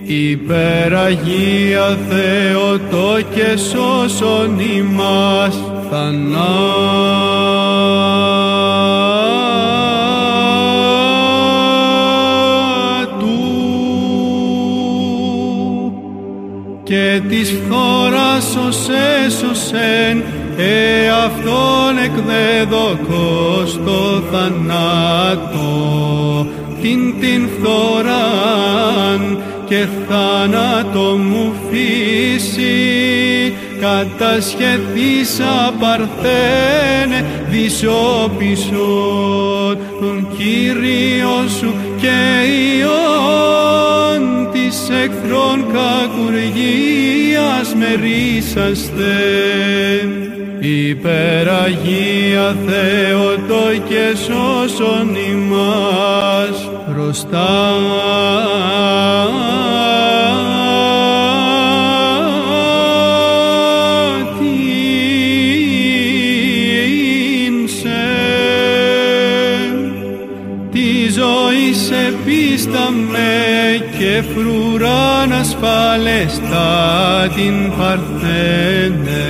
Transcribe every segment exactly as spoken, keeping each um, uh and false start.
Υπεραγία Θεότο και σώσον ημάς θανάτου και της φθόρας ως έσωσεν εαυτόν εκδεδοκός το θανάτο την την φθοράν και θάνατο μου φύση κατασχεθήσα παρθένε δυσόπισον τον Κύριο σου και Υιόν της εχθρών κακουργίας μερίσαστε. Υπεραγία Θεότο και σώσον ημάς προστάτην σε τη ζωή σε πίσταμε και φρουράν ασφαλέστα την παρθένε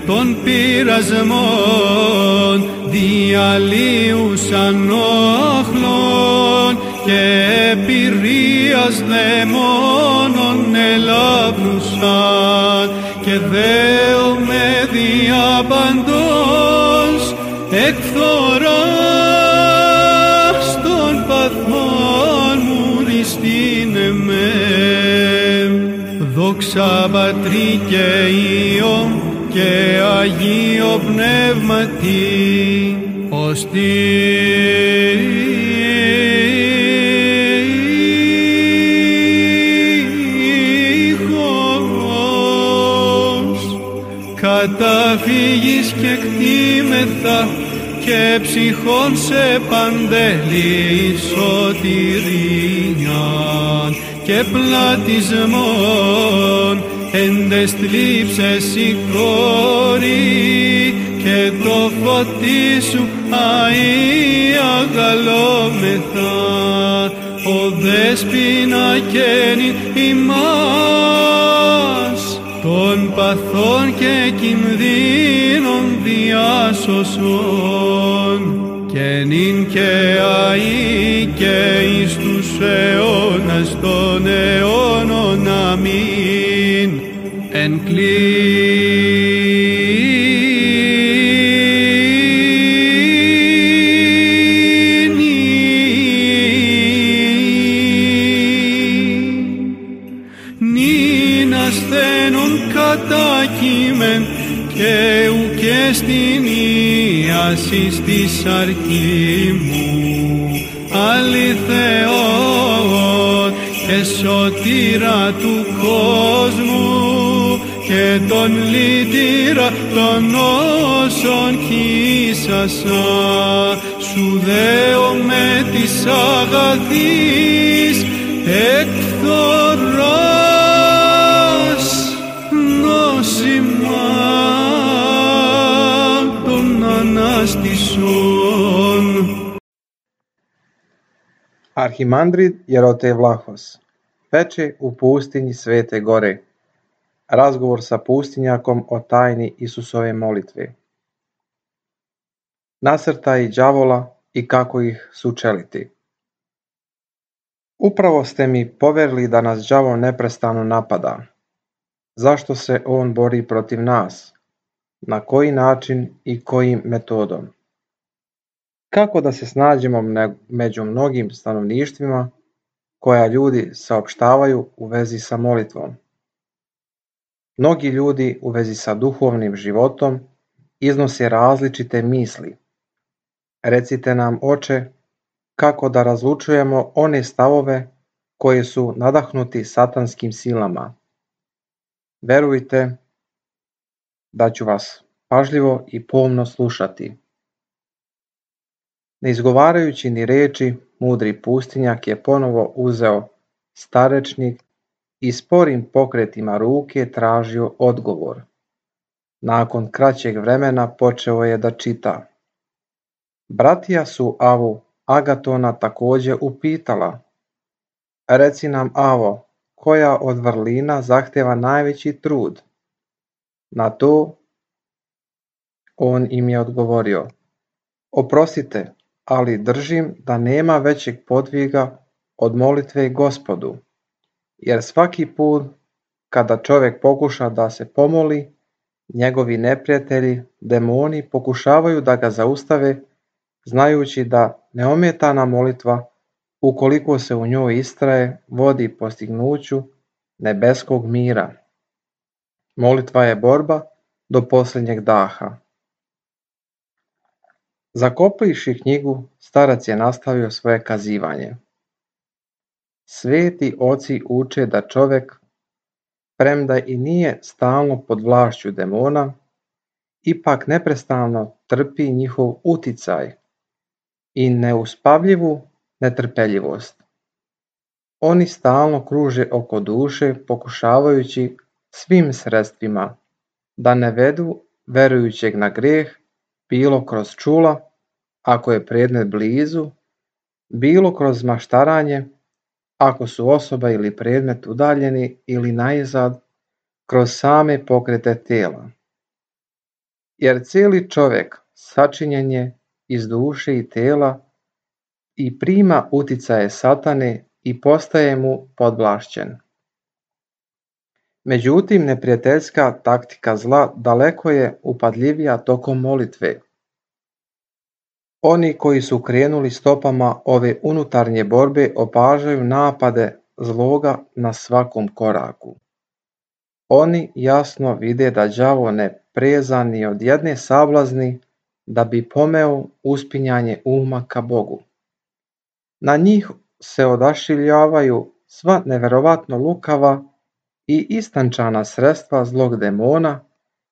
των πειρασμών διαλύουσαν όχλων και πυρίας δαιμόνων ελάβνουσαν και δέομαι διαπαντός εκφθοράς των παθών μου δυστήνε με. Δόξα Πατρί και Υιό και Αγίο Πνεύματι ως τείχος καταφύγεις και κτήμεθα και ψυχών σε παντελή σωτηρίαν και πλατισμόν εν τες θλίψες η κόρη και το φωτί σου αΐ αγαλόμεθα ο δέσποινα καίνην ημάς των παθών και κινδύνων διάσωσον και νυν και αΐ και εις τους αιώνας των αιώνων. Αμήν. Εν νυν ασθένων κατάκειμεν και ουκ στην ίασις της αρκή μου αληθεόν και σωτήρα του κόσμου και τον λύτηρα των όσων χύσασα σου δέομαι της αγαθής εκφθοράς νόσημα των ανάστησων. Arhimandrit Jerote Vlahos, peče u pustinji Svete Gore. Razgovor sa pustinjakom o tajni Isusove molitve. Nasrtaji đavola i kako ih sučeliti. Upravo ste mi poverili da nas đavo neprestano napada. Zašto se on bori protiv nas? Na koji način i kojim metodom? Kako da se snađemo među mnogim stanovništvima koja ljudi saopštavaju u vezi sa molitvom? Mnogi ljudi u vezi sa duhovnim životom iznose različite misli. Recite nam, Oče, kako da razlučujemo one stavove koji su nadahnuti satanskim silama. Verujte da ću vas pažljivo i pomno slušati. Ne izgovarajući ni reči, mudri pustinjak je ponovo uzeo starečnik i sporim pokretima ruke tražio odgovor. Nakon kraćeg vremena počeo je da čita. Bratija su Avu Agatona također upitala. Reci nam, Avo, koja od vrlina zahteva najveći trud? Na to on im je odgovorio: Oprostite, ali držim da nema većeg podviga od molitve Gospodu, jer svaki put kada čovjek pokuša da se pomoli, njegovi neprijatelji, demoni, pokušavaju da ga zaustave, znajući da neometana molitva, ukoliko se u njoj istraje, vodi postignuću nebeskog mira. Molitva je borba do posljednjeg daha. Zakoplivši knjigu, starac je nastavio svoje kazivanje. Sveti oci uče da čovjek, premda i nije stalno pod vlašću demona, ipak neprestano trpi njihov uticaj i neuspavljivu netrpeljivost. Oni stalno kruže oko duše, pokušavajući svim sredstvima da ne vedu verujućeg na grijeh, bilo kroz čula, ako je predmet blizu, bilo kroz maštaranje, ako su osoba ili predmet udaljeni, ili najzad, kroz same pokrete tela. Jer cijeli čovjek sačinjen je iz duše i tela i prima uticaje satane i postaje mu podvlašćen. Međutim, neprijateljska taktika zla daleko je upadljivija tokom molitve. Oni koji su krenuli stopama ove unutarnje borbe opažaju napade zloga na svakom koraku. Oni jasno vide da đavo ne preza ni od jedne sablazni da bi pomeo uspinjanje uma ka Bogu. Na njih se odašiljavaju sva neverovatno lukava i istančana sredstva zlog demona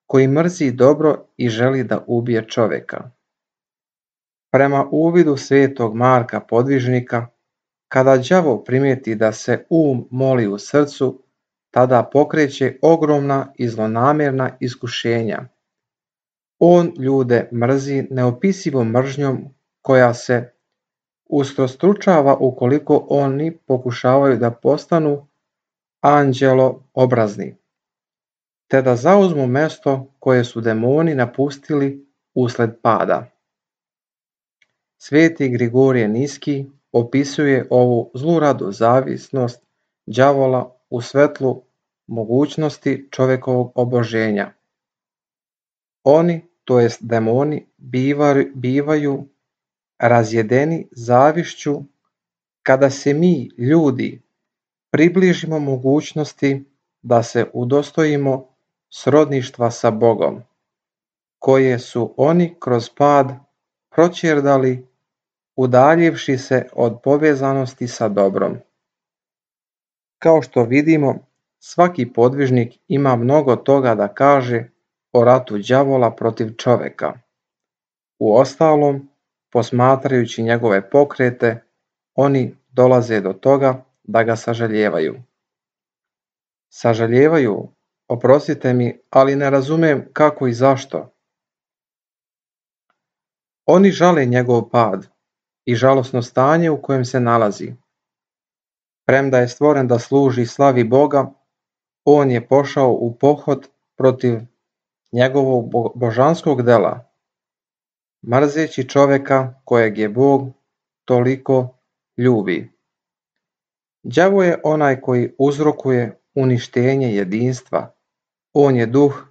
koji mrzi dobro i želi da ubije čovjeka. Prema uvidu svetog Marka Podvižnika, kada đavo primijeti da se um moli u srcu, tada pokreće ogromna i zlonamjerna iskušenja. On ljude mrzi neopisivom mržnjom koja se ustrostručava ukoliko oni pokušavaju da postanu anđelo obrazni, te da zauzmu mjesto koje su demoni napustili usled pada. Sveti Grigorije Niski opisuje ovu zluradu zavisnost đavola u svetlu mogućnosti čovjekovog oboženja. Oni, to jest demoni, bivaju, bivaju razjedeni zavišću kada se mi, ljudi, približimo mogućnosti da se udostojimo srodništva sa Bogom, koje su oni kroz pad proćerdali, udaljivši se od povezanosti sa dobrom. Kao što vidimo, svaki podvižnik ima mnogo toga da kaže o ratu đavola protiv čovjeka. Uostalom, posmatrajući njegove pokrete, oni dolaze do toga da ga sažaljevaju. Sažaljevaju, oprostite mi, ali ne razumem kako i zašto. Oni žale njegov pad i žalosno stanje u kojem se nalazi. Premda je stvoren da služi slavi Boga, on je pošao u pohod protiv njegovog božanskog dela, mrzeći čovjeka kojeg je Bog toliko ljubi. Đavo je onaj koji uzrokuje uništenje jedinstva. On je duh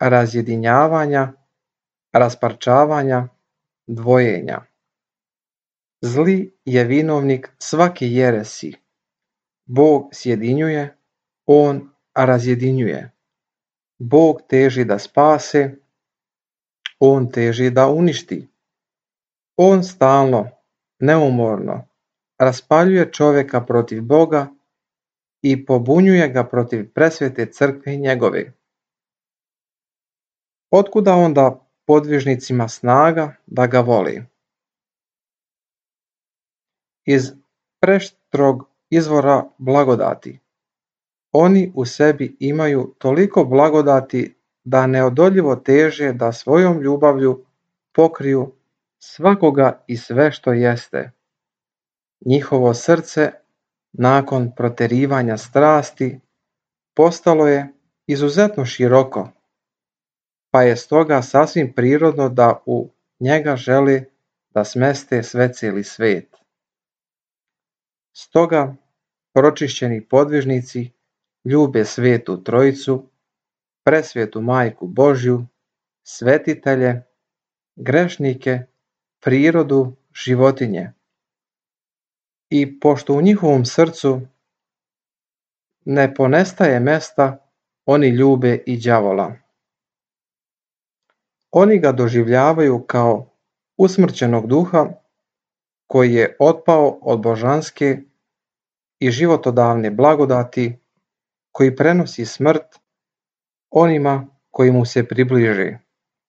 razjedinjavanja, rasparčavanja, dvojenja. Zli je vinovnik svake jeresi. Bog sjedinjuje, on razjedinjuje. Bog teži da spase, on teži da uništi. On stalno, neumorno raspaljuje čovjeka protiv Boga i pobunjuje ga protiv presvete crkve njegove. Otkuda onda podvižnicima snaga da ga voli? Iz preštrog izvora blagodati. Oni u sebi imaju toliko blagodati da neodoljivo teže da svojom ljubavlju pokriju svakoga i sve što jeste. Njihovo srce nakon proterivanja strasti postalo je izuzetno široko, pa je stoga sasvim prirodno da u njega žele da smeste sve cijeli svet. Stoga pročišćeni podvižnici ljube Svetu Trojicu, presvetu Majku Božju, svetitelje, grešnike, prirodu, životinje. I pošto u njihovom srcu ne ponestaje mesta, oni ljube i đavola. Oni ga doživljavaju kao usmrćenog duha koji je otpao od božanske i životodavne blagodati, koji prenosi smrt onima koji mu se približe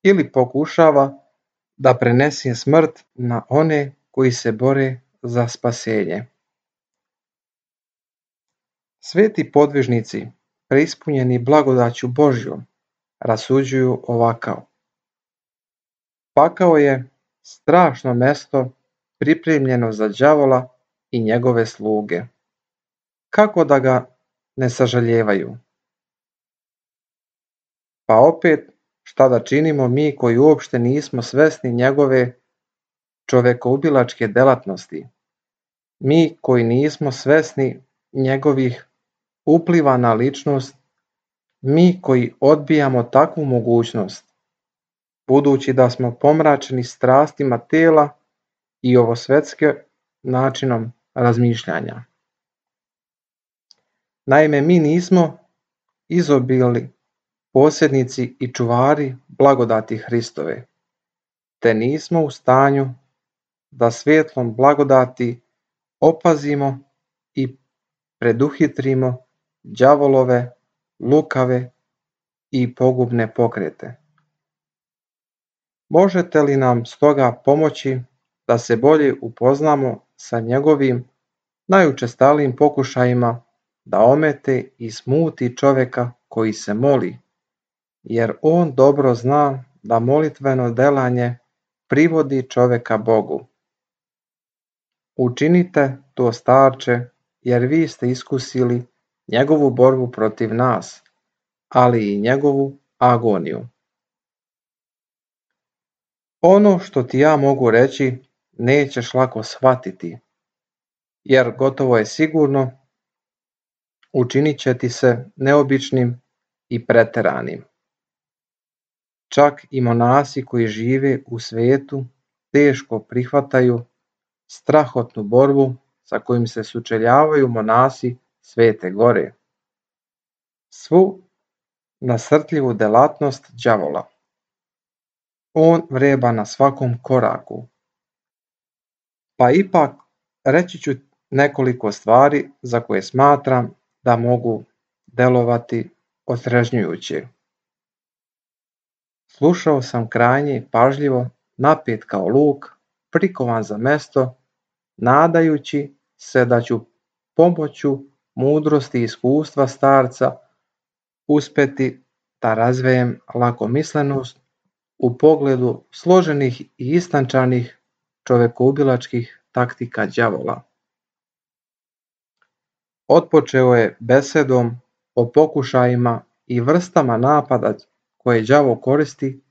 ili pokušava da prenese smrt na one koji se bore za spasenje. Sveti podvižnici, preispunjeni blagodaću Božjom, rasuđuju ovako: pakao je strašno mesto pripremljeno za đavola i njegove sluge. Kako da ga ne sažaljevaju? Pa opet, šta da činimo mi koji uopšte nismo svesni njegove čovekoubilačke delatnosti? Mi koji nismo svesni njegovih upliva na ličnost, mi koji odbijamo takvu mogućnost, budući da smo pomračeni strastima tela i ovosvetske načinom razmišljanja. Naime, mi nismo izobilni posjednici i čuvari blagodati Hristove, te nismo u stanju da svjetlom blagodati opazimo i preduhitrimo đavolove, lukave i pogubne pokrete. Možete li nam stoga pomoći da se bolje upoznamo sa njegovim najučestalijim pokušajima da omete i smuti čovjeka koji se moli, jer on dobro zna da molitveno delanje privodi čovjeka Bogu. Učinite to, starče, jer vi ste iskusili njegovu borbu protiv nas, ali i njegovu agoniju. Ono što ti ja mogu reći nećeš lako shvatiti, jer gotovo je sigurno učinit će ti se neobičnim i preteranim. Čak i monasi koji žive u svijetu teško prihvataju strahotnu borbu sa kojim se sučeljavaju monasi Svete Gore, svu nasrtljivu delatnost đavola. On vreba na svakom koraku. Pa ipak reći ću nekoliko stvari za koje smatram da mogu delovati otrežnjujuće. Slušao sam krajnje pažljivo, napet kao luk, prikovan za mesto, nadajući se da ću pomoću mudrosti i iskustva starca uspeti da razvejem lakomislenost u pogledu složenih i istančanih čovekoubilačkih taktika đavola. Otpočeo je besedom o pokušajima i vrstama napada koje đavo koristi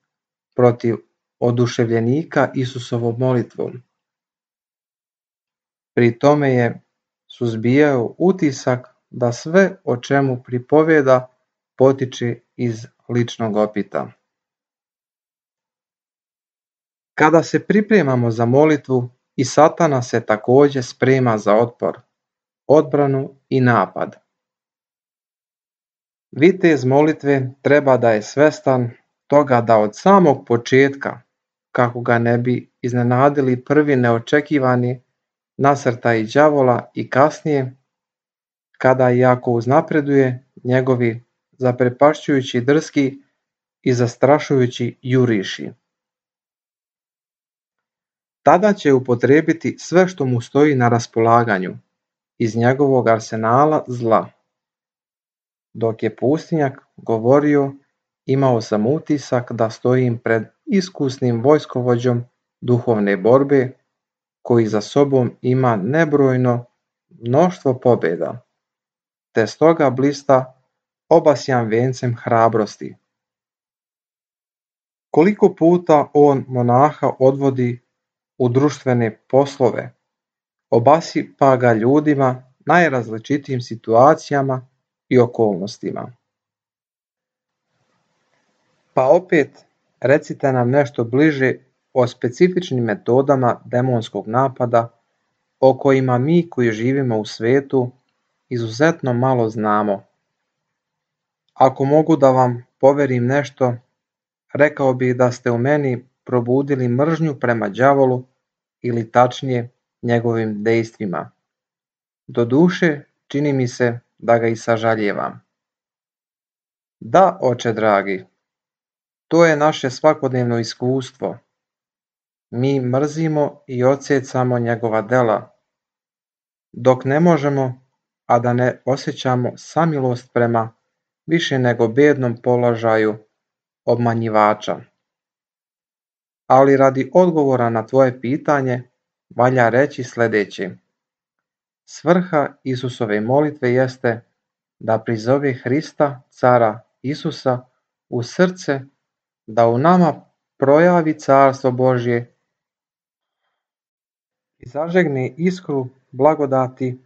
protiv oduševljenika Isusovom molitvom. Pri tome je suzbijao utisak da sve o čemu pripoveda potiče iz ličnog opita. Kada se pripremamo za molitvu, i Satana se također sprema za otpor, odbranu i napad. Vitez molitve treba da je svestan toga da od samog početka, kako ga ne bi iznenadili prvi neočekivani nasrtaji đavola, i kasnije, kada i ako uznapreduje njegovi zaprepašćujući drski i zastrašujući juriši. Tada će upotrijebiti sve što mu stoji na raspolaganju iz njegovog arsenala zla. Dok je pustinjak govorio, imao sam utisak da stojim pred iskusnim vojskovođom duhovne borbe, koji za sobom ima nebrojno mnoštvo pobjeda, te stoga blista obasjan vencem hrabrosti. Koliko puta on monaha odvodi u društvene poslove, obasipa ga ljudima najrazličitijim situacijama i okolnostima. Pa opet recite nam nešto bliže o specifičnim metodama demonskog napada o kojima mi koji živimo u svijetu izuzetno malo znamo. Ako mogu da vam poverim nešto, rekao bih da ste u meni probudili mržnju prema đavolu ili tačnije njegovim dejstvima. Doduše, čini mi se da ga i sažaljevam. Da, oče dragi, to je naše svakodnevno iskustvo. Mi mrzimo i odsjecamo njegova dela, dok ne možemo, a da ne osjećamo samilost prema više nego bednom položaju obmanjivača. Ali radi odgovora na tvoje pitanje valja reći sljedeće. Svrha Isusove molitve jeste da prizove Hrista, cara Isusa, u srce, da u nama projavi carstvo Božje i zažegne iskru blagodati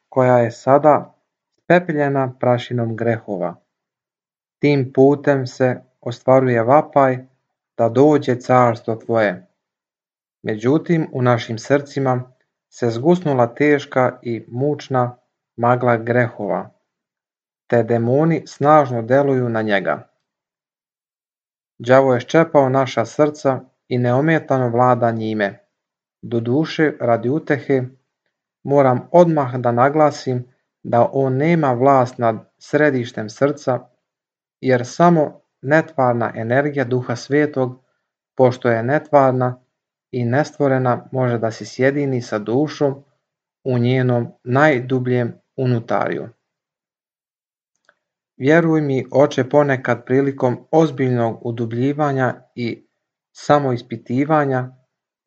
koja je sada spepeljena prašinom grehova. Tim putem se ostvaruje vapaj da dođe carstvo tvoje. Međutim, u našim srcima se zgusnula teška i mučna magla grehova, te demoni snažno deluju na njega. Đavo je ščepao naša srca i neometano vlada njime. Doduše, radi utehe, moram odmah da naglasim da on nema vlast nad središtem srca, jer samo netvarna energija Duha Svetog, pošto je netvarna i nestvorena, može da se sjedini sa dušom u njenom najdubljem unutarju. Vjeruj mi, oče, ponekad prilikom ozbiljnog udubljivanja i samoispitivanja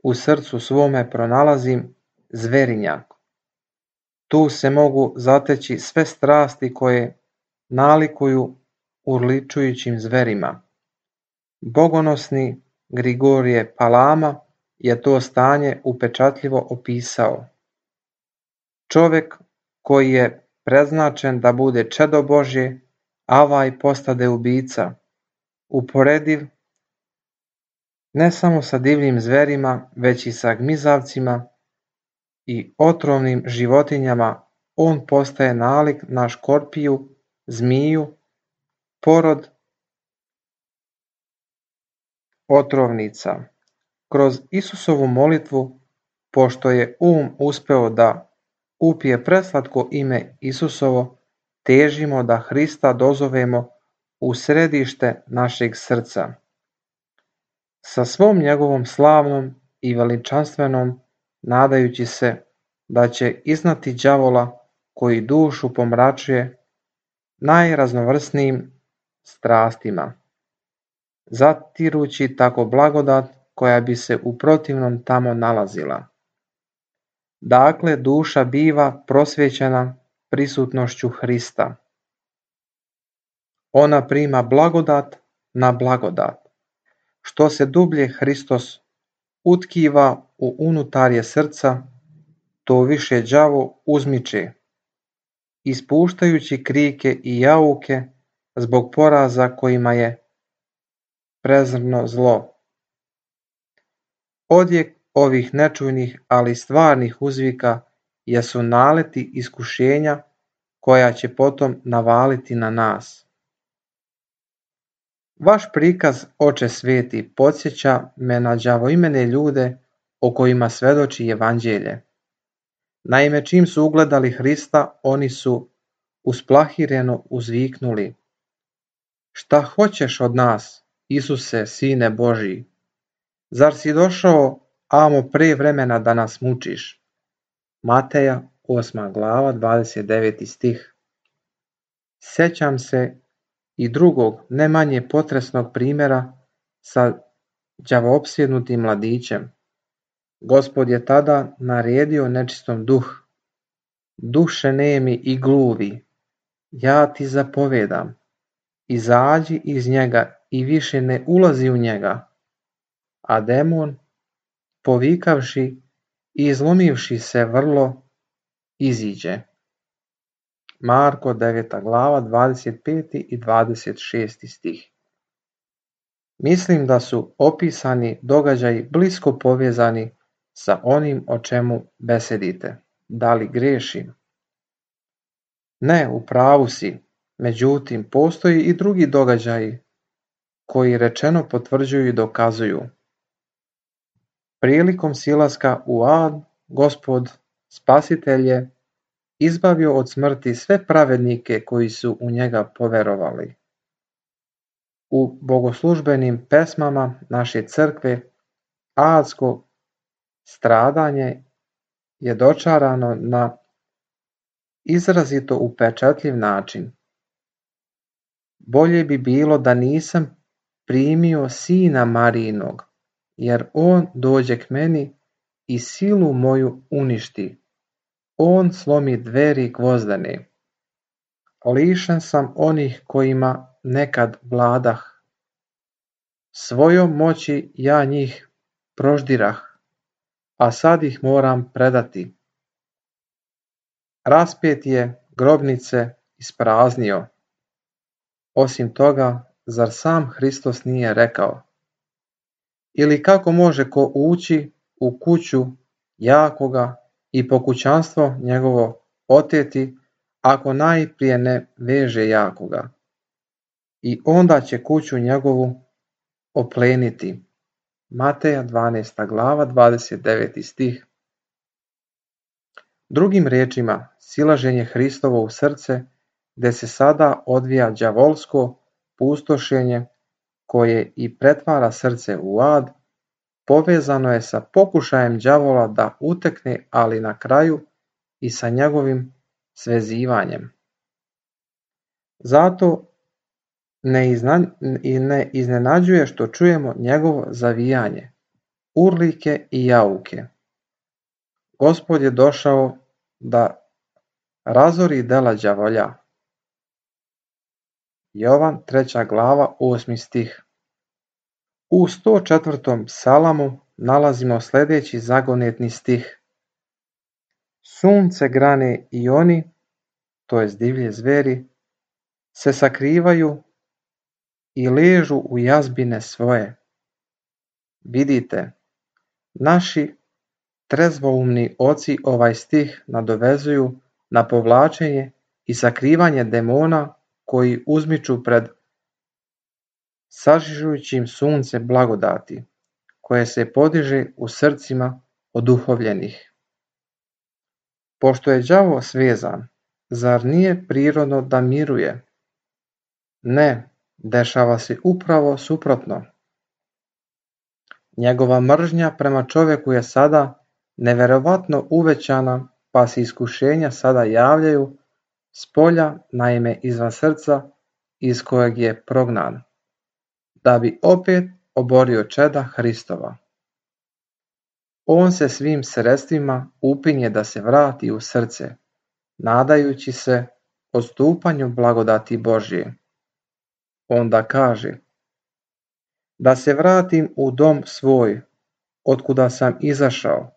u srcu svome pronalazim zverinjak. Tu se mogu zateći sve strasti koje nalikuju urličujućim zverima. Bogonosni Grigorije Palama je to stanje upečatljivo opisao. Čovjek koji je preznačen da bude čedo Božje, avaj postade ubica, uporediv ne samo sa divljim zverima, već i sa gmizavcima i otrovnim životinjama. On postaje nalik na škorpiju, zmiju, porod otrovnica. Kroz Isusovu molitvu, pošto je um uspeo da upije preslatko ime Isusovo, težimo da Hrista dozovemo u središte našeg srca. Sa svom njegovom slavnom i veličanstvenom, nadajući se da će iznati đavola koji dušu pomračuje najraznovrsnijim strastima, zatirući tako blagodat koja bi se u protivnom tamo nalazila. Dakle, duša biva prosvjećena prisutnošću Hrista. Ona prima blagodat na blagodat. Što se dublje Hristos utkiva u unutarje srca, to više đavo uzmiče, ispuštajući krike i jauke zbog poraza kojima je prezrno zlo. Odjek ovih nečujnih, ali stvarnih uzvika jesu naleti iskušenja koja će potom navaliti na nas. Vaš prikaz, oče sveti, podsjeća me na đavoimene ljude o kojima svedoči evanđelje. Naime, čim su ugledali Hrista, oni su usplahireno uzviknuli: Šta hoćeš od nas, Isuse, Sine Božji? Zar si došao amo pre vremena da nas mučiš? Mateja, osma glava, dvadeset deveti stih. Sjećam se i drugog, ne manje potresnog primjera sa đavoopsjednutim mladićem. Gospod je tada naredio nečistom duh duše nemi i gluvi, ja ti zapovedam, izađi iz njega i više ne ulazi u njega. A demon, povikavši i izlomivši se vrlo, iziđe. Marko deveta glava, dvadeset peti i dvadeset šesti stih. Mislim da su opisani događaji blisko povezani sa onim o čemu besedite. Da li grešim? Ne, u pravu si. Međutim, postoji i drugi događaji koji rečeno potvrđuju i dokazuju. Prilikom silaska u ad, Gospod, Spasitelj je izbavio od smrti sve pravednike koji su u njega poverovali. U bogoslužbenim pesmama naše crkve adsko stradanje je dočarano na izrazito upečatljiv način. Bolje bi bilo da nisam primio sina Marijinog, jer on dođe k meni i silu moju uništi. On slomi dveri gvozdene. Lišen sam onih kojima nekad vladah. Svojom moći ja njih proždirah, a sad ih moram predati. Raspet je grobnice ispraznio. Osim toga, zar sam Hristos nije rekao? Ili kako može ko ući u kuću jakoga i pokućanstvo njegovo oteti, ako najprije ne veže jakoga? I onda će kuću njegovu opleniti. Mateja dvanaesta glava, dvadeset deveti stih. Drugim riječima, silaženje Hristovo u srce, gdje se sada odvija đavolsko pustošenje koje i pretvara srce u ad, povezano je sa pokušajem đavola da utekne, ali na kraju i sa njegovim svezivanjem. Zato ne, izna, ne iznenađuje što čujemo njegovo zavijanje, urlike i jauke. Gospod je došao da razori dela đavolja. Jovan treća glava, osmi stih. U sto četvrtom psalamu nalazimo sljedeći zagonetni stih. Sunce, grane i oni, to jest divlje zveri, se sakrivaju i ležu u jazbine svoje. Vidite, naši trezvoumni oci ovaj stih nadovezuju na povlačenje i sakrivanje demona koji uzmiču pred sažižujućim sunce blagodati, koje se podiže u srcima oduhovljenih. Pošto je đavo svezan, zar nije prirodno da miruje? Ne, dešava se upravo suprotno. Njegova mržnja prema čovjeku je sada neverovatno uvećana, pa se iskušenja sada javljaju s polja, naime izvan srca iz kojeg je prognan, da bi opet oborio čeda Hristova. On se svim sredstvima upinje da se vrati u srce, nadajući se odstupanju blagodati Božje. Onda kaže, da se vratim u dom svoj, otkuda sam izašao,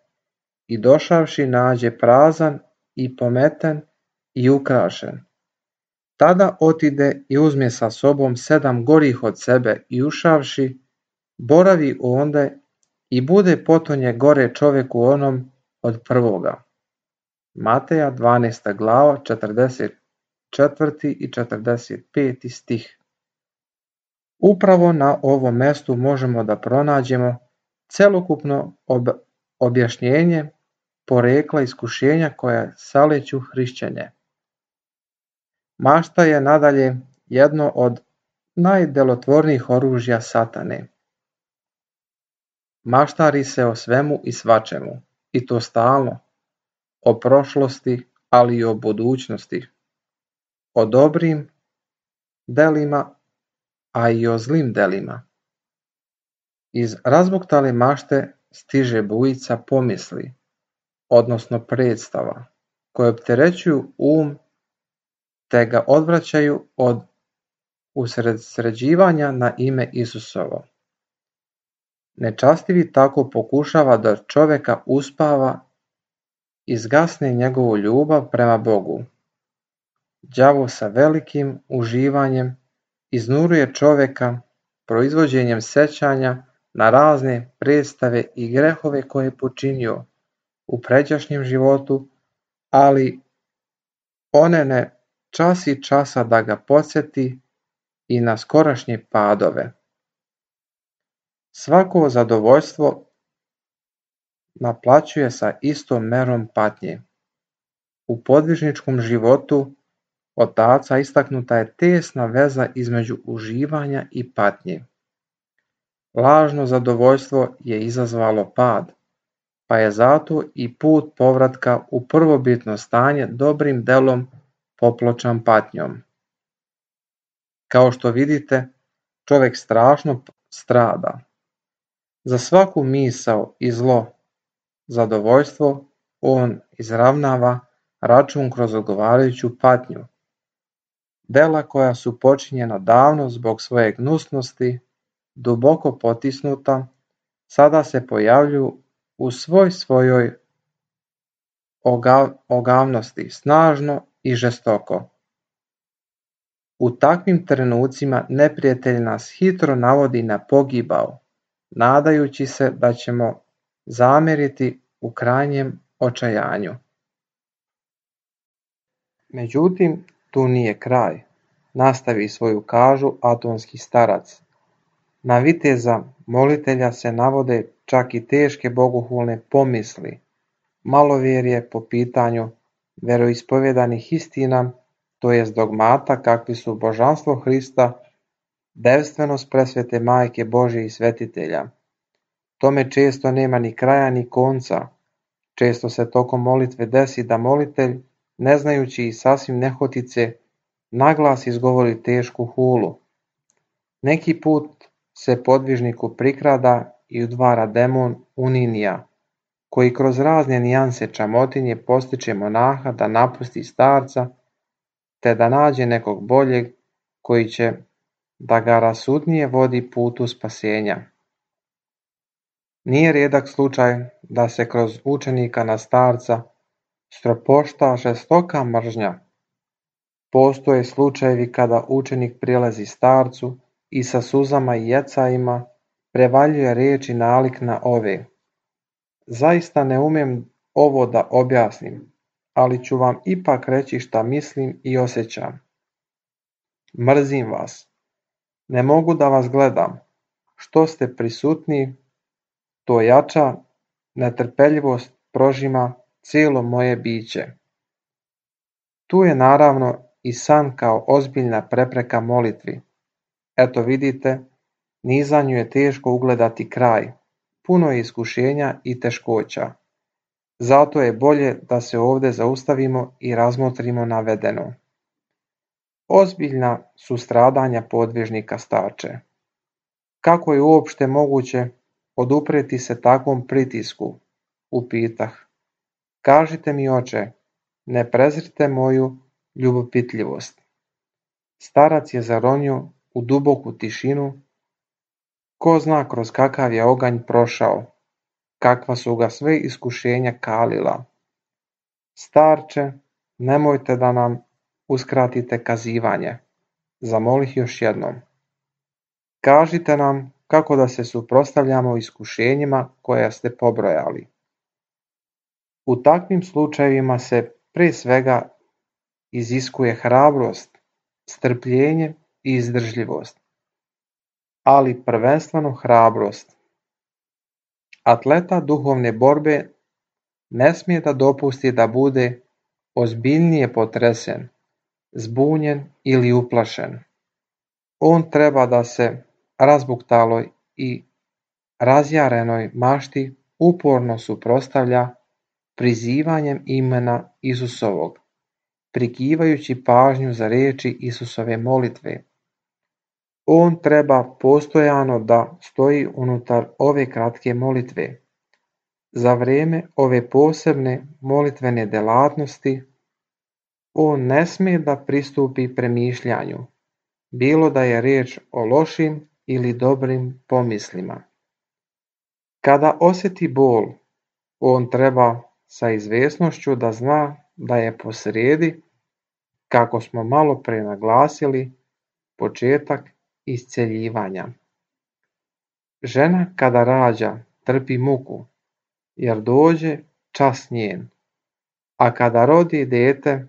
i došavši nađe prazan i pometen i ukrašen. Tada otide i uzme sa sobom sedam gorih od sebe i ušavši, boravi onde i bude potonje gore čovjeku onom od prvoga. Mateja dvanaesta glava, četrdeset četvrti i četrdeset peti stih. Upravo na ovom mjestu možemo da pronađemo celokupno ob- objašnjenje porekla iskušenja koja saleću hrišćanje. Mašta je nadalje jedno od najdelotvornijih oružja satane. Maštari se o svemu i svačemu, i to stalno, o prošlosti, ali i o budućnosti, o dobrim delima, a i o zlim delima. Iz razbuktale mašte stiže bujica pomisli, odnosno predstava, koje opterećuju um te ga odvraćaju od usredsređivanja na ime Isusovo. Nečastivi tako pokušava da čovjeka uspava i zgasne njegovu ljubav prema Bogu. Đavo sa velikim uživanjem iznuruje čovjeka proizvođenjem sećanja na razne predstave i grehove koje je počinio u pređašnjem životu, ali one ne časi časa da ga podsjeti i na skorašnje padove. Svako zadovoljstvo naplaćuje sa istom merom patnje. U podvižničkom životu otaca istaknuta je tesna veza između uživanja i patnje. Lažno zadovoljstvo je izazvalo pad, pa je zato i put povratka u prvobitno stanje dobrim delom popločan patnjom. Kao što vidite, čovjek strašno strada. Za svaku misao i zlo, zadovoljstvo, on izravnava račun kroz odgovarajuću patnju. Dela koja su počinjena davno zbog svoje gnusnosti, duboko potisnuta, sada se pojavljuju u svoj svojoj ogav, ogavnosti, snažno i žestoko. U takvim trenucima neprijatelj nas hitro navodi na pogibao, nadajući se da ćemo zameriti u krajnjem očajanju. Međutim, tu nije kraj, nastavi svoju kažu atonski starac. Na viteza molitelja se navode čak i teške bogohulne pomisli, malovjerje po pitanju veroispovjedanih istina, to jest dogmata kakvi su božanstvo Hrista, devstvenost presvete Majke Božje i svetitelja. Tome često nema ni kraja ni konca. Često se tokom molitve desi da molitelj, ne znajući i sasvim nehotice, naglas izgovori tešku hulu. Neki put se podvižniku prikrada i udvara demon uninija, koji kroz razne nijanse čamotinje postiče monaha da napusti starca, te da nađe nekog boljeg koji će da ga rasudnije vodi putu spasenja. Nije rijedak slučaj da se kroz učenika na starca stropošta žestoka mržnja. Postoje slučajevi kada učenik prilazi starcu i sa suzama i jecajima prevaljuje riječi nalik na ove. Zaista ne umem ovo da objasnim, ali ću vam ipak reći šta mislim i osjećam. Mrzim vas. Ne mogu da vas gledam. Što ste prisutni, to jača netrpeljivost prožima cijelo moje biće. Tu je naravno i san kao ozbiljna prepreka molitvi. Eto vidite, nizanju je teško ugledati kraj, puno je iskušenja i teškoća. Zato je bolje da se ovdje zaustavimo i razmotrimo navedeno. Ozbiljna su stradanja podvižnika starče. Kako je uopšte moguće odupreti se takvom pritisku? Upitah. Kažite mi, oče, ne prezrite moju ljubopitljivost. Starac je zaronio u duboku tišinu, ko zna kroz kakav je oganj prošao, kakva su ga sve iskušenja kalila. Starče, nemojte da nam uskratite kazivanje, zamolih još jednom. Kažite nam kako da se suprotstavljamo iskušenjima koja ste pobrojali. U takvim slučajevima se prije svega iziskuje hrabrost, strpljenje i izdržljivost, ali prvenstveno hrabrost. Atleta duhovne borbe ne smije da dopusti da bude ozbiljnije potresen, zbunjen ili uplašen. On treba da se razbuktaloj i razjarenoj mašti uporno suprotstavlja prizivanjem imena Isusovog, prikivajući pažnju za riječi Isusove molitve. On treba postojano da stoji unutar ove kratke molitve. Za vrijeme ove posebne molitvene delatnosti on ne smije da pristupi premišljanju, bilo da je riječ o lošim ili dobrim pomislima. Kada osjeti bol, on treba sa izvjesnošću da zna da je posrijedi, kako smo malo pre naglasili, početak isceljivanja. Žena kada rađa trpi muku, jer dođe čas njen, a kada rodi dete,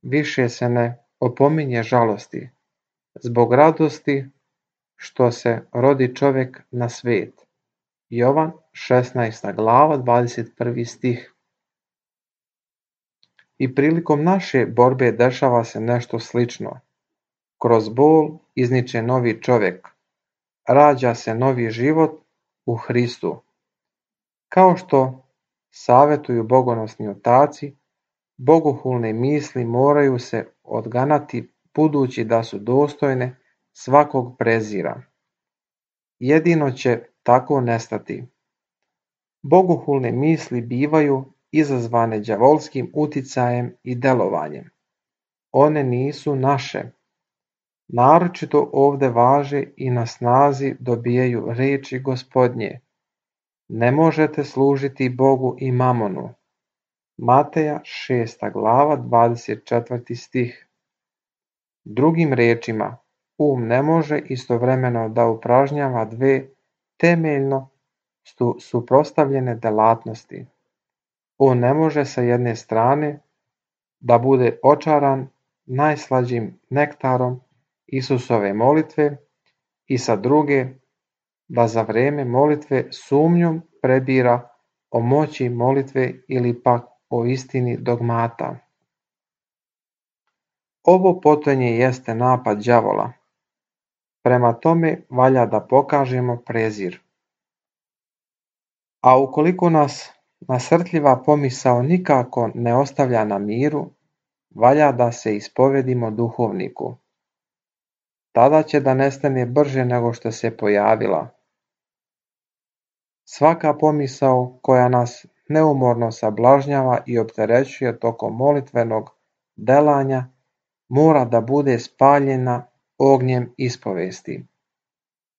više se ne opominje žalosti, zbog radosti što se rodi čovjek na svijet. Jovan šesnaesta glava dvadeset prvi stih. I prilikom naše borbe dešava se nešto slično. Kroz bol izniče novi čovjek, rađa se novi život u Hristu. Kao što savjetuju bogonosni otaci, bogohulne misli moraju se odganati budući da su dostojne svakog prezira. Jedino će tako nestati. Bogohulne misli bivaju izazvane đavolskim uticajem i delovanjem. One nisu naše. Naročito ovdje važe i na snazi dobijaju riječi Gospodnje. Ne možete služiti Bogu i mamonu. Mateja šesta glava dvadeset četvrti stih. Drugim riječima, um ne može istovremeno da upražnjava dve temeljno suprotstavljene delatnosti. On ne može sa jedne strane da bude očaran najslađim nektarom Isusove molitve i sa druge da za vrijeme molitve sumnjom prebira o moći molitve ili pak o istini dogmata. Ovo potonje jeste napad đavola. Prema tome valja da pokažemo prezir. A ukoliko nas nasrtljiva pomisao nikako ne ostavlja na miru, valja da se ispovedimo duhovniku. Tada će da nestane brže nego što se pojavila. Svaka pomisao koja nas neumorno sablažnjava i opterećuje tokom molitvenog delanja mora da bude spaljena ognjem ispovesti.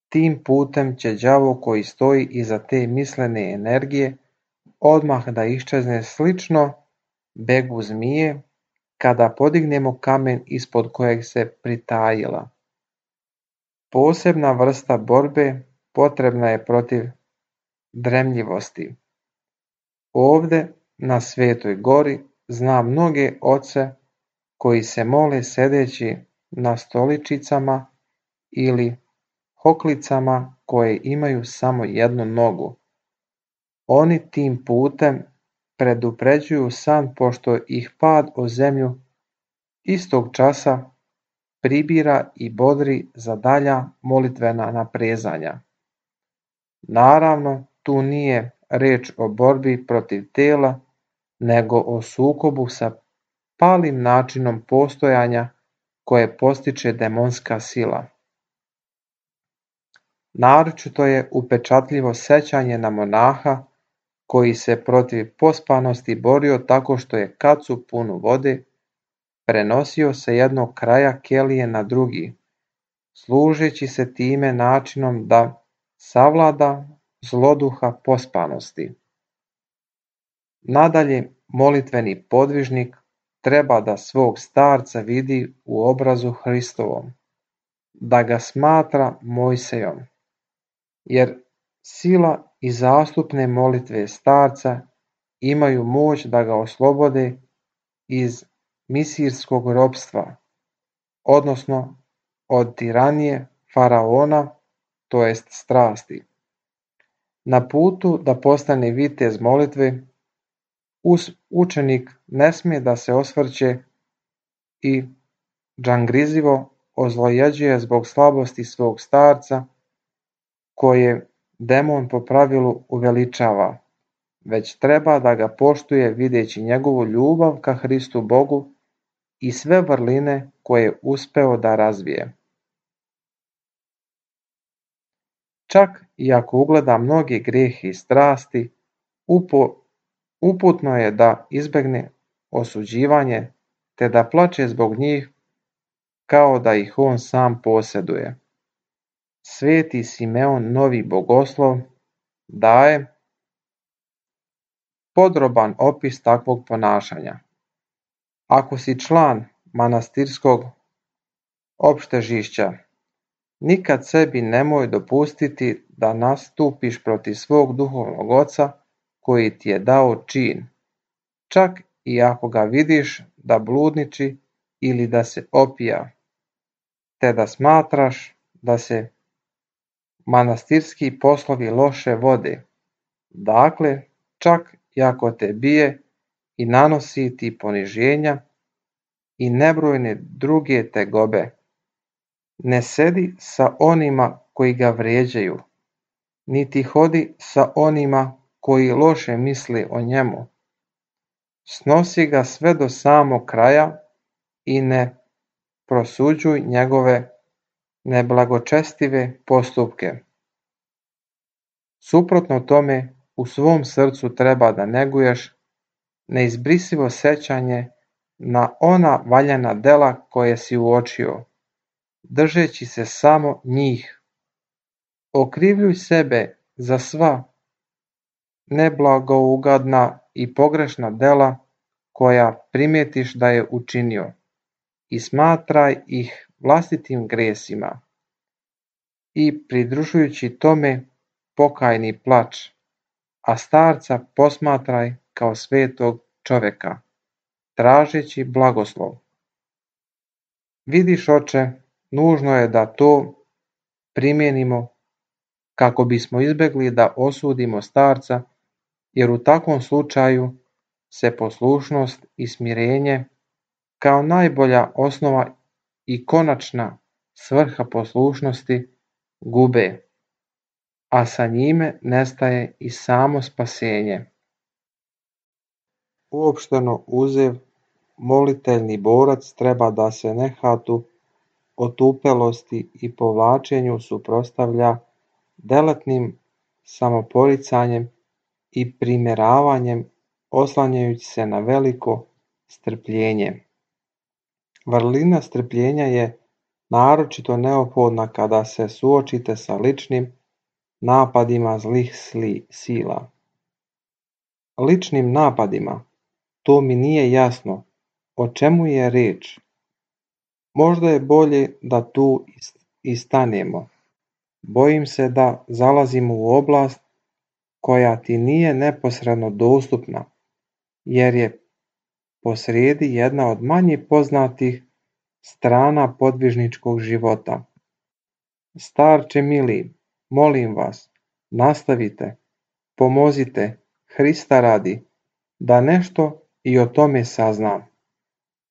Tim putem će đavo koji stoji iza te mislene energije odmah da iščezne slično begu zmije kada podignemo kamen ispod kojeg se pritajila. Posebna vrsta borbe potrebna je protiv dremljivosti. Ovdje na Svetoj gori znam mnoge oce koji se mole sedeći na stoličicama ili hoklicama koje imaju samo jednu nogu. Oni tim putem predupređuju san pošto ih pad o zemlju istog časa pribira i bodri za dalja molitvena naprezanja. Naravno, tu nije reč o borbi protiv tela, nego o sukobu sa palim načinom postojanja koje postiče demonska sila. Naročito je upečatljivo sećanje na monaha koji se protiv pospanosti borio tako što je kacu punu vode prenosio sa jednog kraja kelije na drugi, služeći se time načinom da savlada zloduha pospanosti. Nadalje, molitveni podvižnik treba da svog starca vidi u obrazu Hristovom, da ga smatra Mojsejom, jer sila i zastupne molitve starca imaju moć da ga oslobode iz misirskog ropstva, odnosno od tiranije faraona, to jest strasti. Na putu da postane vitez molitve, učenik ne smije da se osvrće i džangrizivo ozlojeđuje zbog slabosti svog starca, koje demon po pravilu uveličava, već treba da ga poštuje videći njegovu ljubav ka Hristu Bogu i sve vrline koje je uspeo da razvije. Čak i ako ugleda mnoge grijehe i strasti, Upo, uputno je da izbegne osuđivanje, te da plače zbog njih kao da ih on sam posjeduje. Sveti Simeon Novi Bogoslov daje podroban opis takvog ponašanja. Ako si član manastirskog opštežišća, nikad sebi nemoj dopustiti da nastupiš protiv svog duhovnog oca koji ti je dao čin, čak i ako ga vidiš da bludniči ili da se opija, te da smatraš da se manastirski poslovi loše vode. Dakle, čak i ako te bije i nanosi ti poniženja i nebrojne druge tegobe, ne sedi sa onima koji ga vrijeđaju, niti hodi sa onima koji loše misle o njemu. Snosi ga sve do samog kraja i ne prosuđuj njegove neblagočestive postupke. Suprotno tome, u svom srcu treba da neguješ neizbrisivo sećanje na ona valjana dela koje si uočio, držeći se samo njih. Okrivljuj sebe za sva neblagougadna i pogrešna dela koja primijetiš da je učinio i smatraj ih vlastitim gresima i pridružujući tome pokajni plač, a starca posmatraj kao svetog čoveka, tražeći blagoslov. Vidiš, oče, nužno je da to primijenimo kako bismo izbjegli da osudimo starca, jer u takvom slučaju se poslušnost i smirenje kao najbolja osnova i konačna svrha poslušnosti gube, a sa njime nestaje i samo spasenje. Uopšteno uzev, moliteljni borac treba da se nehatu otupelosti i povlačenju suprotstavlja delatnim samoporicanjem i primjeravanjem, oslanjajući se na veliko strpljenje. Vrlina strpljenja je naročito neophodna kada se suočite sa ličnim napadima zlih sila. Ličnim napadima, to mi nije jasno, o čemu je riječ. Možda je bolje da tu i stanemo. Bojim se da zalazimo u oblast koja ti nije neposredno dostupna, jer je posrijedi jedna od manje poznatih strana podvižničkog života. Starče mili, molim vas, nastavite, pomozite, Hrista radi, da nešto i o tome saznam.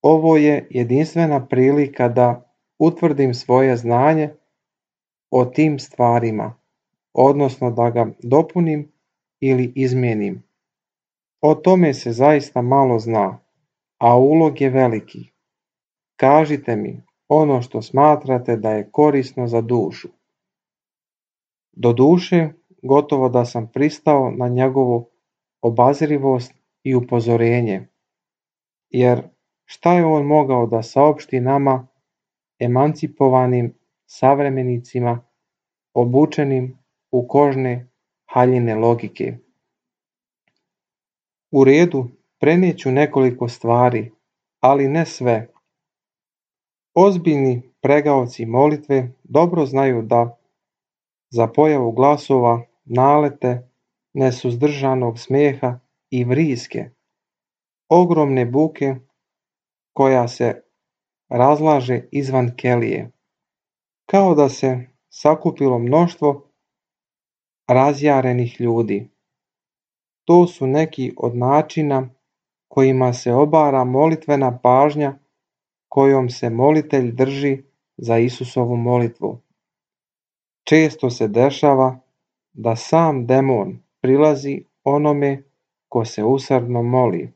Ovo je jedinstvena prilika da utvrdim svoje znanje o tim stvarima, odnosno da ga dopunim ili izmijenim. O tome se zaista malo zna, a ulog je veliki. Kažite mi ono što smatrate da je korisno za dušu. Doduše, gotovo da sam pristao na njegovu obazrivost i upozorenje, jer šta je on mogao da saopšti nama, emancipovanim savremenicima, obučenim u kožne haljine logike? U redu, prenijeću nekoliko stvari, ali ne sve. Ozbiljni pregaoci molitve dobro znaju da za pojavu glasova, nalete, nesuzdržanog smijeha i vriske, ogromne buke koja se razlaže izvan kelije, kao da se sakupilo mnoštvo razjarenih ljudi. To su neki od načina kojima se obara molitvena pažnja kojom se molitelj drži za Isusovu molitvu. Često se dešava da sam demon prilazi onome ko se usrdno moli.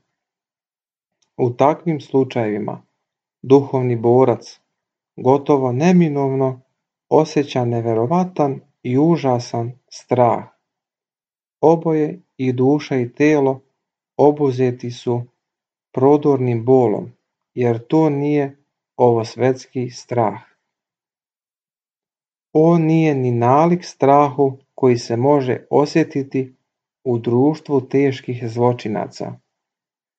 U takvim slučajevima duhovni borac gotovo neminovno osjeća neverovatan i užasan strah. Oboje i duša i telo obuzeti su prodornim bolom, jer to nije ovosvetski strah. On nije ni nalik strahu koji se može osjetiti u društvu teških zločinaca.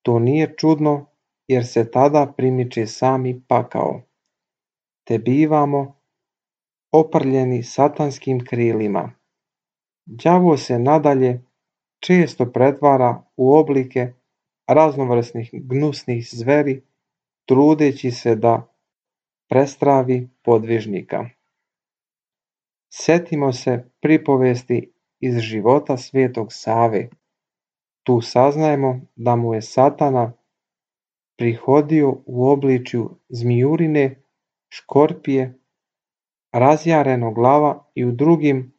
To nije čudno, jer se tada primiče sami pakao, te bivamo oprljeni satanskim krilima. Đavo se nadalje često pretvara u oblike raznovrsnih gnusnih zveri, trudeći se da prestravi podvižnika. Sjetimo se pripovesti iz života svetog Save. Tu saznajemo da mu je Satana prihodio u obličju zmijurine, škorpije, razjarenog glava i u drugim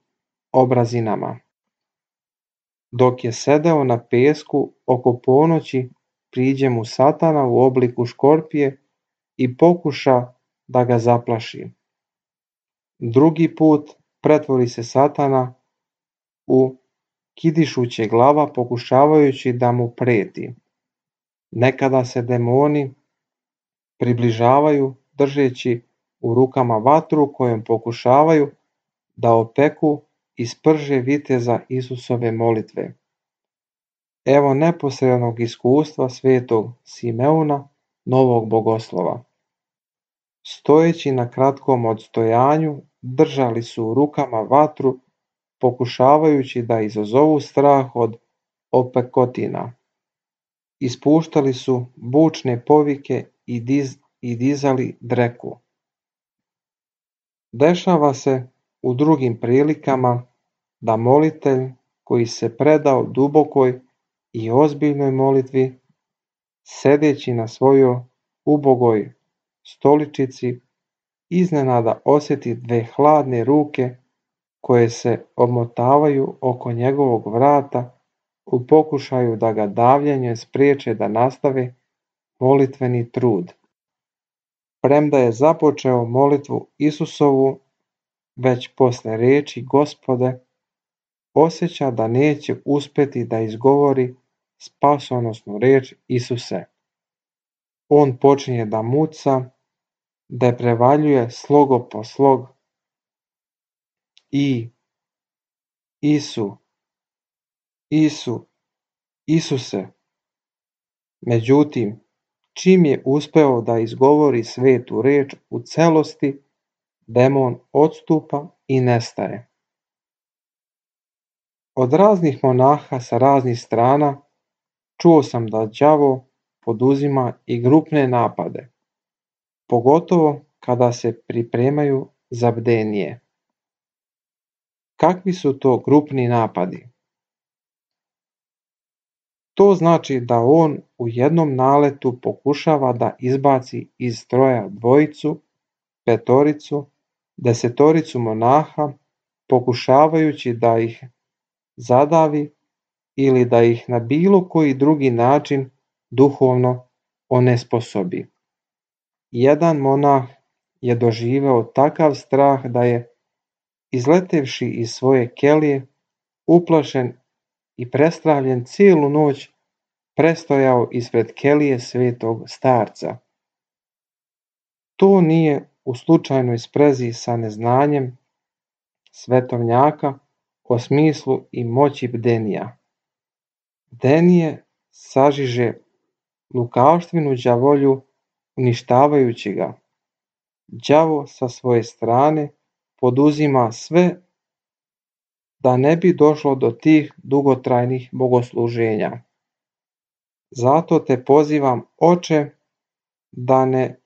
obrazinama. Dok je sedeo na pesku oko ponoći, priđe mu Satana u obliku škorpije i pokuša da ga zaplaši. Drugi put pretvori se Satana u kidišuće glava pokušavajući da mu preti. Nekada se demoni približavaju držeći u rukama vatru kojom pokušavaju da opeku i sprže viteza Isusove molitve. Evo neposrednog iskustva svetog Simeona, novog bogoslova. Stojeći na kratkom odstojanju, držali su u rukama vatru, pokušavajući da izazovu strah od opekotina. Ispuštali su bučne povike i, diz, i dizali dreku. Dešava se u drugim prilikama da molitelj koji se predao dubokoj i ozbiljnoj molitvi, sedeći na svojoj ubogoj stoličici, iznenada osjeti dve hladne ruke koje se obmotavaju oko njegovog vrata u pokušaju da ga davljenjem spriječe da nastave molitveni trud. Premda je započeo molitvu Isusovu, već posle reči Gospode, osjeća da neće uspjeti da izgovori spasonosnu reč Isuse. On počinje da muca, da prevaljuje slogo po slog i Isu, Isu, Isuse. Međutim, čim je uspeo da izgovori svetu reč u celosti, demon odstupa i nestaje. Od raznih monaha sa raznih strana čuo sam da đavo poduzima i grupne napade, pogotovo kada se pripremaju za bdenije. Kakvi su to grupni napadi? To znači da on u jednom naletu pokušava da izbaci iz stroja dvojicu, petoricu, desetoricu monaha, pokušavajući da ih zadavi ili da ih na bilo koji drugi način duhovno onesposobi. Jedan monah je doživeo takav strah da je, izletevši iz svoje kelije, uplašen i prestravljen cijelu noć, prestojao ispred kelije svetog starca. To nije u slučajnoj sprezi sa neznanjem svetovnjaka o smislu i moći bdenija. Bdenije sažiže lukavštvinu đavolju uništavajući ga. Đavo sa svoje strane poduzima sve da ne bi došlo do tih dugotrajnih bogosluženja. Zato te pozivam, Oče, da ne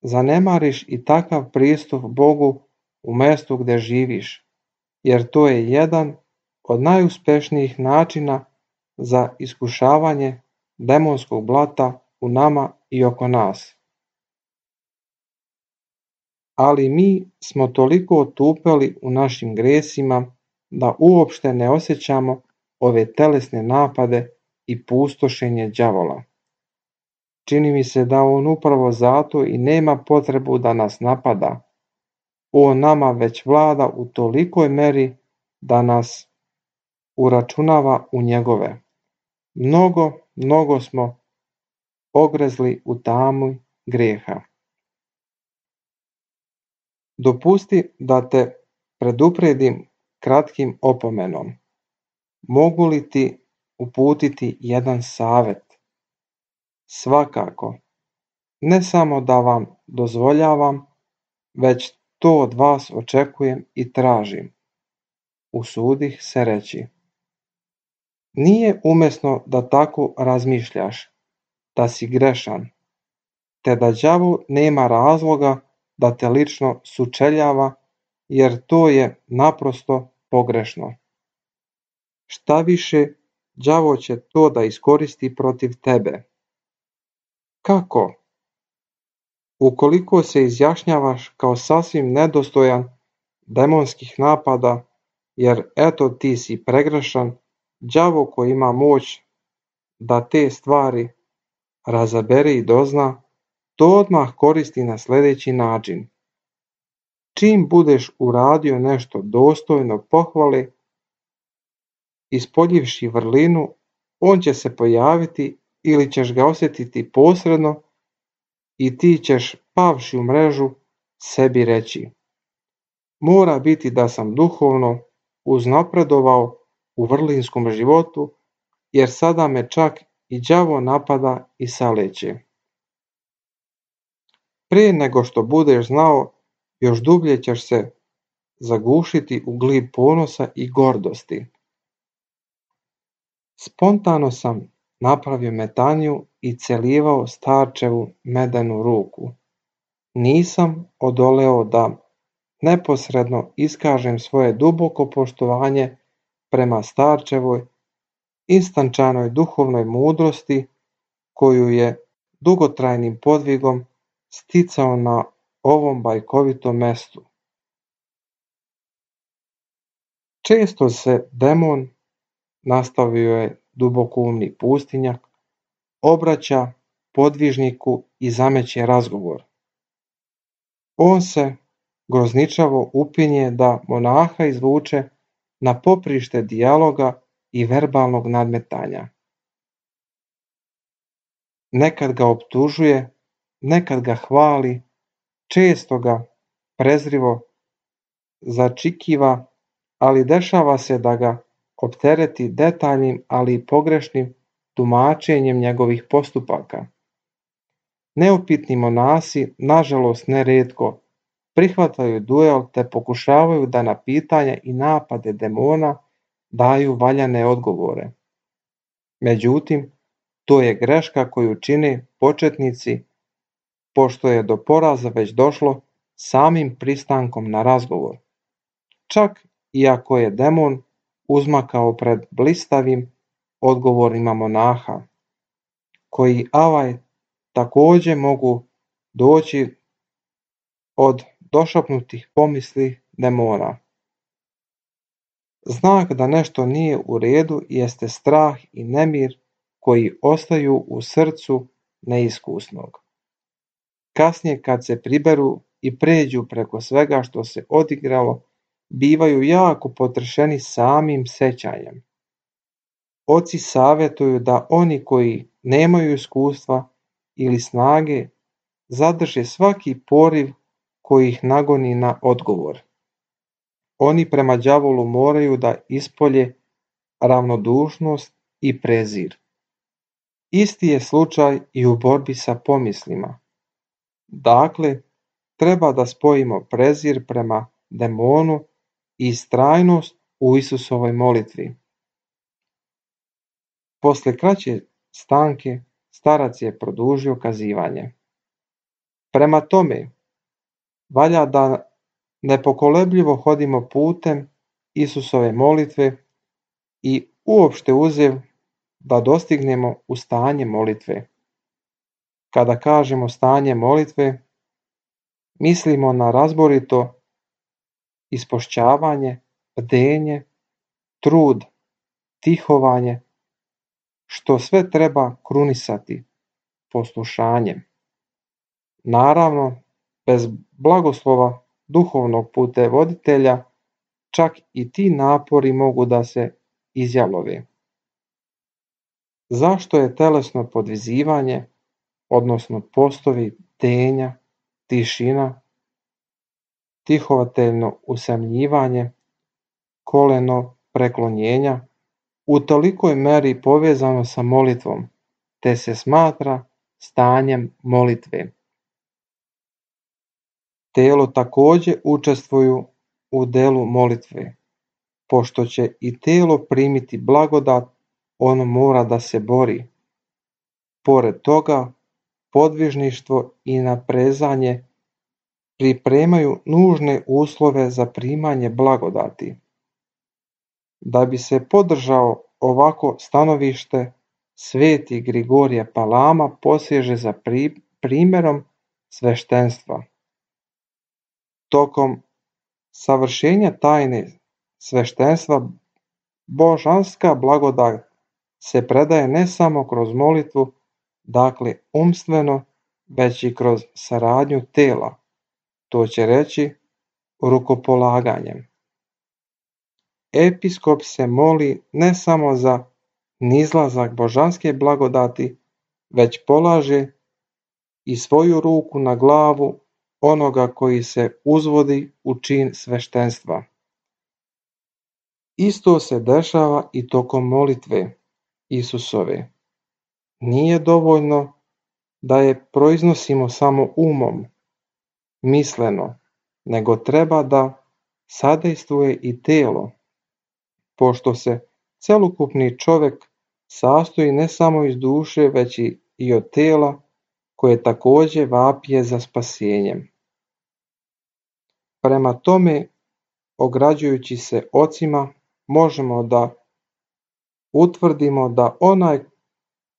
zanemariš i takav pristup Bogu u mjestu gdje živiš, jer to je jedan od najuspešnijih načina za iskušavanje demonskog blata u nama i oko nas. Ali mi smo toliko otupeli u našim gresima da uopšte ne osjećamo ove telesne napade i pustošenje đavola. Čini mi se da on upravo zato i nema potrebu da nas napada. On nama već vlada u tolikoj meri da nas uračunava u njegove. Mnogo, mnogo smo ogrezli u tamu grijeha. Dopusti da te predupredim kratkim opomenom. Mogu li ti uputiti jedan savjet? Svakako, ne samo da vam dozvoljavam, već to od vas očekujem i tražim. Usudih se reći. Nije umesno da tako razmišljaš, da si grešan, te da đavo nema razloga da te lično sučeljava, jer to je naprosto pogrešno. Šta više, đavo će to da iskoristi protiv tebe. Kako? Ukoliko se izjašnjavaš kao sasvim nedostojan demonskih napada, jer eto ti si pregrešan, đavo koji ima moć da te stvari razabere i dozna, to odmah koristi na sljedeći način. Čim budeš uradio nešto dostojno pohvale, ispoljivši vrlinu, on će se pojaviti ili ćeš ga osjetiti posredno i ti ćeš, pavši u mrežu, sebi reći: mora biti da sam duhovno uznapredovao u vrlinskom životu, jer sada me čak i đavo napada i saleće. Prije nego što budeš znao, još dublje ćeš se zagušiti u glib ponosa i gordosti. Spontano sam napravio metaniju i celivao starčevu medenu ruku. Nisam odoleo da neposredno iskažem svoje duboko poštovanje prema starčevoj instančanoj duhovnoj mudrosti koju je dugotrajnim podvigom sticao na ovom bajkovitom mestu. Često se demon, nastavio je dubokoumni pustinjak, obraća podvižniku i zameće razgovor. On se grozničavo upinje da monaha izvuče na poprište dijaloga i verbalnog nadmetanja. Nekad ga optužuje, nekad ga hvali, često ga prezrivo začikiva, ali dešava se da ga optereti detaljnim, ali i pogrešnim tumačenjem njegovih postupaka. Neupitni monasi, nažalost nerijetko, prihvataju duel te pokušavaju da na pitanja i napade demona daju valjane odgovore. Međutim, to je greška koju čine početnici, pošto je do poraza već došlo samim pristankom na razgovor. Čak i ako je demon uzmakao pred blistavim odgovorima monaha, koji avaj također mogu doći od došapnutih pomisli demona. Znak da nešto nije u redu jeste strah i nemir koji ostaju u srcu neiskusnog. Kasnije kad se priberu i pređu preko svega što se odigralo, bivaju jako potrešeni samim sećanjem. Oci savjetuju da oni koji nemaju iskustva ili snage zadrže svaki poriv koji ih nagoni na odgovor. Oni prema đavolu moraju da ispolje ravnodušnost i prezir. Isti je slučaj i u borbi sa pomislima. Dakle, treba da spojimo prezir prema demonu i istrajnost u Isusovoj molitvi. Posle kraće stanke, starac je produžio kazivanje. Prema tome, valja da nepokolebljivo hodimo putem Isusove molitve i uopšte uzev da dostignemo u stanje molitve. Kada kažemo stanje molitve, mislimo na razborito ispošćavanje, bdenje, trud, tihovanje, što sve treba krunisati poslušanjem. Naravno, bez blagoslova duhovnog putevoditelja, čak i ti napori mogu da se izjalovi. Zašto je telesno podvizivanje, odnosno postovi bdenja, tišina, tihovateljno usamljivanje, koleno preklonjenja u tolikoj meri povezano sa molitvom, te se smatra stanjem molitve? Telo također učestvuju u delu molitve. Pošto će i telo primiti blagodat, ono mora da se bori. Pored toga, podvižništvo i naprezanje pripremaju nužne uslove za primanje blagodati. Da bi se podržao ovako stanovište, sveti Grigorije Palama poseže za primjerom sveštenstva. Tokom savršenja tajne sveštenstva, božanska blagodat se predaje ne samo kroz molitvu, dakle umstveno, već i kroz saradnju tela, to će reći rukopolaganjem. Episkop se moli ne samo za nizlazak božanske blagodati, već polaže i svoju ruku na glavu onoga koji se uzvodi u čin sveštenstva. Isto se dešava i tokom molitve Isusove. Nije dovoljno da je proiznosimo samo umom, misleno, nego treba da sadejstvuje i telo, pošto se celokupni čovjek sastoji ne samo iz duše, već i od tela, koje također vapije za spasenjem. Prema tome, ograđujući se ocima, možemo da utvrdimo da onaj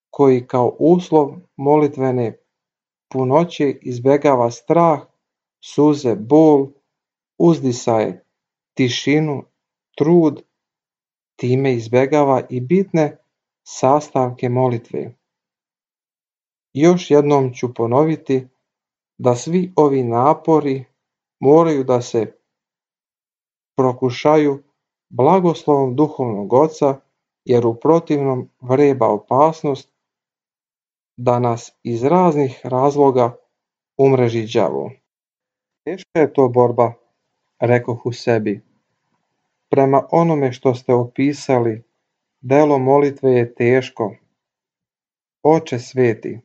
koji kao uslov molitvene punoće izbjegava strah, suze, bol, uzdisaje, tišinu, trud, time izbjegava i bitne sastavke molitve. Još jednom ću ponoviti da svi ovi napori moraju da se prokušaju blagoslovom duhovnog oca, jer u protivnom vreba opasnost da nas iz raznih razloga umreži đavo. Teška je to borba, rekoh u sebi. Prema onome što ste opisali, delo molitve je teško. Oče sveti,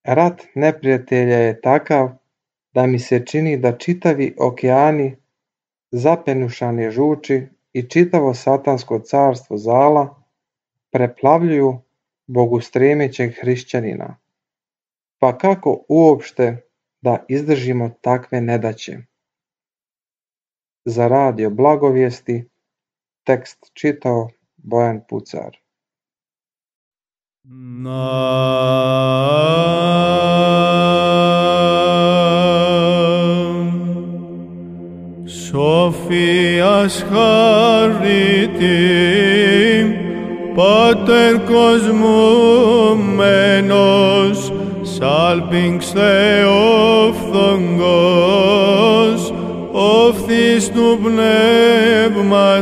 rat neprijatelja je takav da mi se čini da čitavi okeani zapenušane žuči i čitavo satansko carstvo zala preplavljuju bogustremećeg hrišćanina. Pa kako uopšte da izdržimo takve nedaće? Za radio Blagovijesti tekst čitao Bojan Pucar. Σοφίας χαρίτη, Πάτερ κοσμούμενος, σάλπιγγς Θεόφθογκος, οφθής του πνεύματος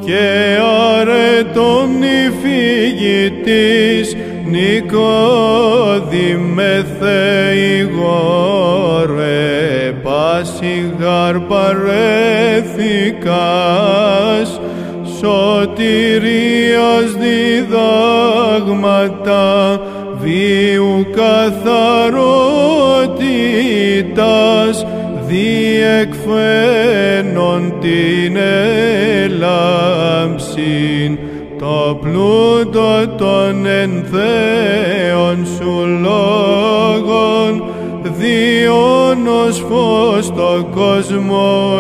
και αρετών υφηγητής, Νικόδημε Θεηγόρε, πάσιγαρ παρέθηκας, σωτηρίας διδάγματα, βίου καθαρότητας, διεκφαίνον την έλαμψην, το πλούτο των ενθέων σου λόγων, διόνος φως το κόσμο